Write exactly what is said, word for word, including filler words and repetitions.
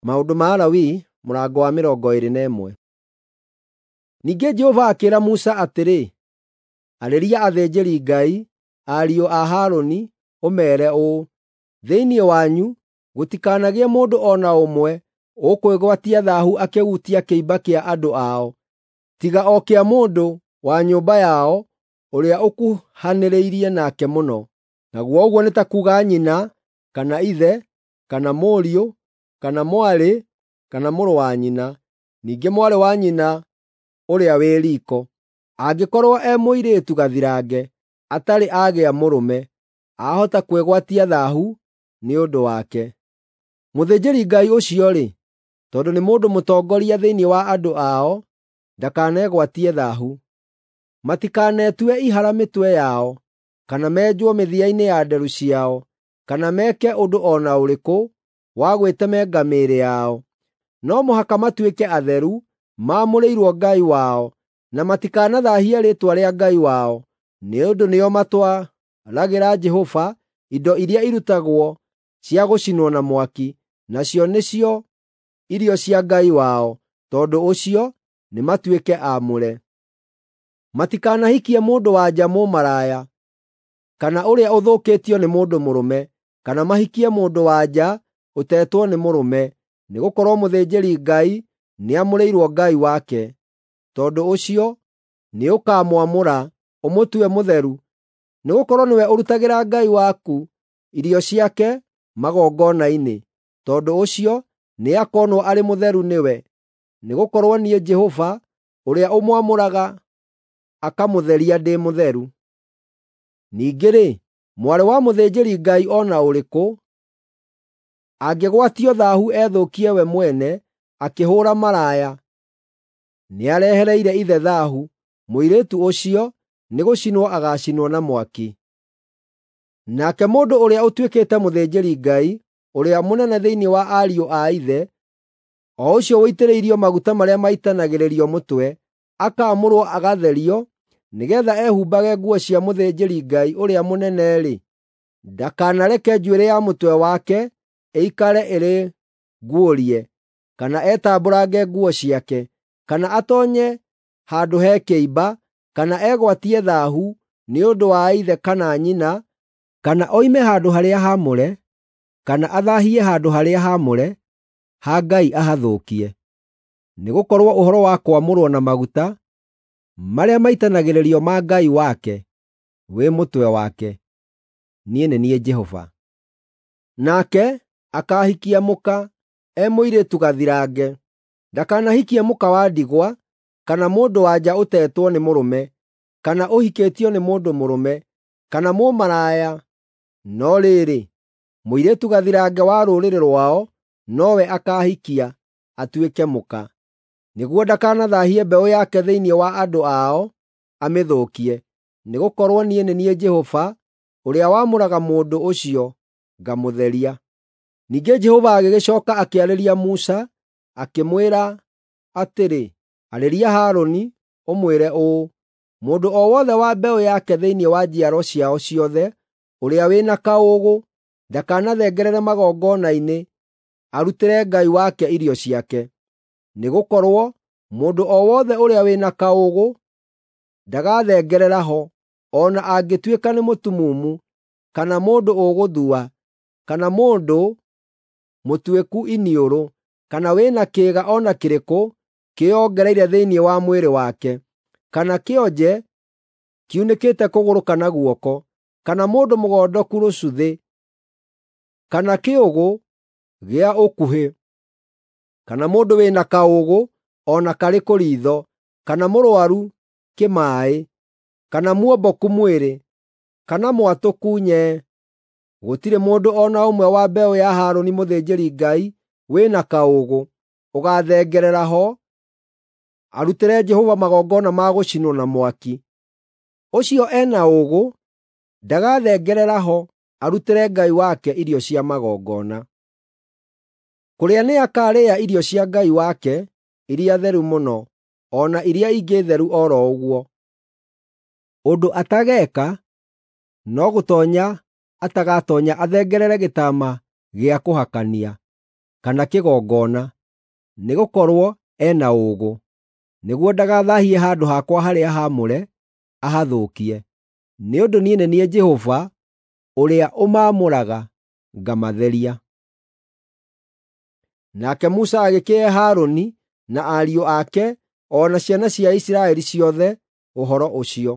Maũndũ ma Alawii mũrango wa mĩrongo ĩĩrĩ na ĩmwe. Ningĩ Jehova akĩĩra Musa atĩrĩ, arĩria athĩnjĩri-Ngai, ariũ a Harũni, ũmeere ũũ: Thĩinĩ wanyu gũtikanagĩe mũndũ o na ũmwe ũkwĩgwatia thaahu akĩhutia kĩimba kĩa andũ ao, tiga o kĩa mũndũ wa nyũmba yao ũrĩa ũkuhanĩrĩirie nake mũno, naguo ũguo nĩ ta kuuga nyina, kana ithe, kana mũriũ, kana mwarĩ, kana mũrũ wa nyina, ningĩ mwarĩ wa nyina ũrĩa wĩ riiko, angĩkorwo e mũirĩtu gathirange atarĩ agĩa mũrũme, ahota kwĩgwatia thaahu nĩ ũndũ wake. Mũthĩnjĩri-Ngai ũcio-rĩ, tondũ nĩ mũndũ mũtongoria thĩinĩ wa andũ ao, ndakanegwatie thaahu. Matikanetue ihara mĩtwe yao, kana menjwo mĩthia-inĩ ya nderu ciao, kana meke ũndũ o na ũrĩkũ wa gwĩtemenga mĩĩrĩ yao. No mũhaka matuĩke atheru, maamũrĩirwo Ngai wao, na matikanathaahie rĩĩtwa rĩa Ngai wao, nĩ ũndũ nĩo matwaragĩra Jehova indo iria irutagwo cia gũcinwo na mwaki, nacio nĩcio irio cia Ngai wao, tondũ ũcio nĩmatuĩke aamũre. Matikanahikie mũndũ-wa-nja mũmaraya, kana ũrĩa ũthũkĩtio nĩ mũndũ mũrũme, kana mahikie mũndũ-wa-nja ũtetwo nĩ mũrũme, nĩgũkorwo mũthĩnjĩri-Ngai nĩamũrĩirwo Ngai wake. Tondũ ũcio nĩũkamwamũra, ũmũtue mũtheru, nĩgũkorwo nĩwe ũrutagĩra Ngai waku irio ciake magongona-inĩ. Tondũ ũcio nĩakonwo arĩ mũtheru nĩwe, nĩgũkorwo niĩ Jehova ũrĩa ũmwamũraga akamũtheria ndĩ mũtheru. Ningĩ-rĩ, mwarĩ wa mũthĩnjĩri-Ngai o na ũrĩkũ angĩgwatio thaahu ethũkie we mwene akĩhũũra maraya, nĩarehereire ithe thaahu, mũirĩtu ũcio nĩgũcinwo agaacinwo na mwaki. Nake mũndũ ũrĩa ũtuĩkĩte mũthĩnjĩri-Ngai ũrĩa mũnene thĩinĩ wa ariũ a ithe, o ũcio ũitĩrĩirio maguta marĩa maitanagĩrĩrio mũtwe, akaamũrwo agatherio nĩgeetha ehumbage nguo cia mũthĩnjĩri-Ngai ũrĩa mũnene-rĩ, ndakanareke njuĩrĩ ya mũtwe wake ĩikare ĩrĩ nguũrie, kana etambũrange nguo ciake, kana atoonye handũ he kĩimba, kana egwatie thaahu nĩ ũndũ wa ithe kana nyina, kana oime handũ-harĩa-haamũre, kana athaahie handũ-harĩa-haamũre ha Ngai ahathũkie. Nĩgũkorwo ũhoro wa kwamũrwo na maguta marĩa maitanagĩrĩrio ma Ngai wake wĩ mũtwe wake. Niĩ nĩ niĩ Jehova. Nake akaahikia mũka e mũirĩtu gathirange. Ndakanahikie mũka wa ndigwa, kana mũndũ-wa-nja ũtetwo nĩ mũrũme, kana ũhikĩtio nĩ mũndũ mũrũme, kana mũmaraya, no rĩrĩ, mũirĩtu gathirange wa rũrĩrĩ rwao nowe akaahikia atuĩke mũka, nĩguo ndakanathaahie mbeũ yake thĩinĩ wa andũ ao amĩthũkie. Nĩgũkorwo niĩ nĩ niĩ Jehova ũrĩa wamũraga mũndũ ũcio ngamũtheria. Ningĩ Jehova agĩgĩcooka akĩarĩria Musa, akĩmwĩra atĩrĩ, arĩria Harũni, ũmwĩre ũũ: Mũndũ o wothe wa mbeũ yake thĩinĩ wa njiaro ciao ciothe ũrĩa wĩ na kaũũgũ ndakanathengerere magongona-inĩ arutĩre Ngai wake irio ciake. Nĩgũkorwo mũndũ o wothe ũrĩa wĩ na kaũũgũ ndagathengerera ho, o na angĩtuĩka nĩ mũtumumu, kana mũndũ ũgũthua, kana mũndũ mũtuĩku iniũrũ, kana wĩ na kĩĩga o na kĩrĩkũ kĩĩongereire thĩinĩ wa mwĩrĩ wake, kana kĩonje kiunĩkĩte kũgũrũ kana guoko, kana mũndũ mũgondoku rũcuthĩ, kana kĩũgũ gĩa ũkuhĩ, kana mũndũ wĩ na kaũũgũ o na karĩkũ riitho, kana mũrũaru kĩmaaĩ, kana muomboku mwĩrĩ, kana mwatũku nyee. Gũtirĩ mũndũ o na ũmwe wa mbeũ ya Harũni mũthĩnjĩri-Ngai wĩ na kaũũgũ ũgaathengerera ho arutĩre Jehova magongona ma gũcinwo na mwaki. Ũcio e na ũũgũ ndagathengerera ho arutĩre Ngai wake irio cia magongona. Kũrĩa nĩakarĩa irio cia Ngai wake iria theru mũno, o na iria ingĩ theru o ro ũguo. Ũndũ atageeka no gũtoonya atagatoonya athengerere gĩtama gĩa kũhakania, kana kĩgongona, nĩgũkorwo e na ũũgũ, nĩguo ndagathaahie handũ hakwa harĩa haamũre, ahathũkie. Nĩ ũndũ niĩ nĩ niĩ Jehova ũrĩa ũmaamũraga ngamatheria. Nake Musa agĩkĩhe Harũni na ariũ ake o na ciana cia Isiraeli ciothe ũhoro ũcio.